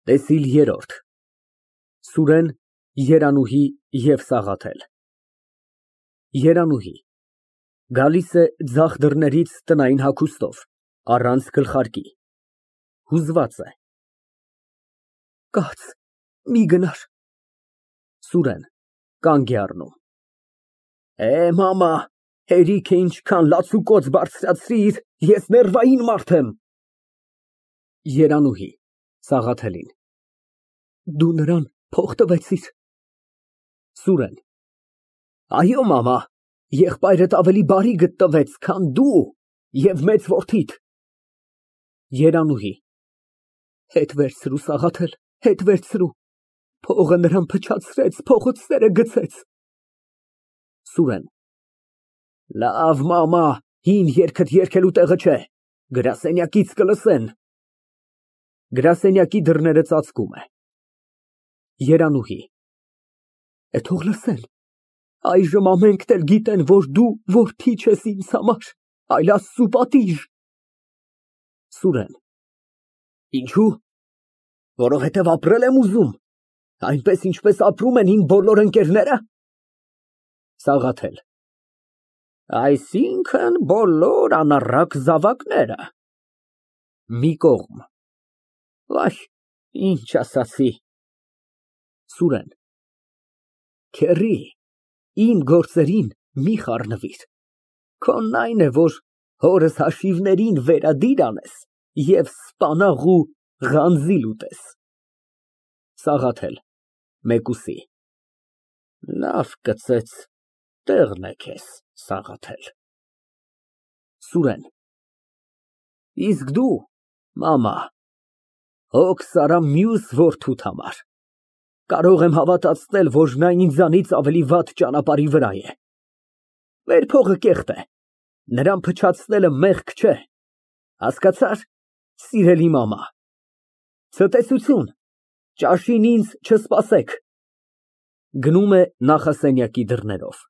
ՏԵՍԻԼ ԵՐՐՈՐԴ ՍՈՒՐԵՆ, ԵՐԱՆՈՒՀԻ և ՍԱՂԱԹԵԼ ԵՐԱՆՈՒՀԻ ֊ Գալիս է ձախ դռներից տնային հագուստով, առանց գլխարկի, հուզված է։ Կաց, մի գնար։ ՍՈՒՐԵՆ ֊ (Կանգ է առնում) Մամա, հերիք է ինչքան լացուկոծ բարձրացրիր, ես ներվային մարդ եմ։ ԵՐԱՆՈՒՀԻ ֊ (Սաղաթելին) Դու նրան փող տվեցի՞ր։ ՍՈՒՐԵՆ ֊ Այո, մամա, եղբայրդ ավելի բարի գտնվեց, քան դու և մեծ որդիդ։ ԵՐԱՆՈՒՀԻ ֊ Հետ վերցրու, Սաղաթել, հետ վերցրու, փողը նրան փչացրեց, փողոցները գցեց։ ՍՈՒՐԵՆ ֊ Լավ, մամա, հին երգդ երգելու տեղը չէ, գրասենյակից կլսեն։ Գրասենյակի դռները ծածկում է։ ԵՐԱՆՈՒՀԻ ֊ Թող լսեն, այժմ ամենքն էլ գիտեն, որ դու որդի չես ինձ համար, այլ Աստծու պատիժ։ ՍՈՒՐԵՆ ֊ Ինչո՞ւ, որովհետև ապրել եմ ուզում, այնպես, ինչպես ապրում են իմ բոլոր ընկերնե՞րը։ ՍԱՂԱԹԵԼ ֊ Այսինքն՝ բոլոր անառակ զավակները։ (Մի կողմ) Վայ, ինչ ասացի։ ՍՈՒՐԵՆ ֊ Քեռի, իմ գործերին մի խառնվիր, քոնն այն է, որ հորս հաշիվներին վերադիր անես և սպանաղ ու ղանձիլ ուտես։ ՍԱՂԱԹԵԼ ֊ (Մեկուսի) Լավ կծեց, տեղն է քեզ, Սաղաթել։ ՍՈՒՐԵՆ ֊ Իսկ դու, մամա, հոգս արա մյուս որդուդ համար, կարող եմ հավատացնել, որ նա ինձանից ավելի վատ ճանապարհի վրա է։ Մեր փողը կեղտ է, նրան փչացնելը մեղք չէ, հասկացա՞ր, սիրելի մամա։ Ցտեսություն, ճաշին ինձ չսպասեք։ (Գնում է նախասենյակի դռներով)։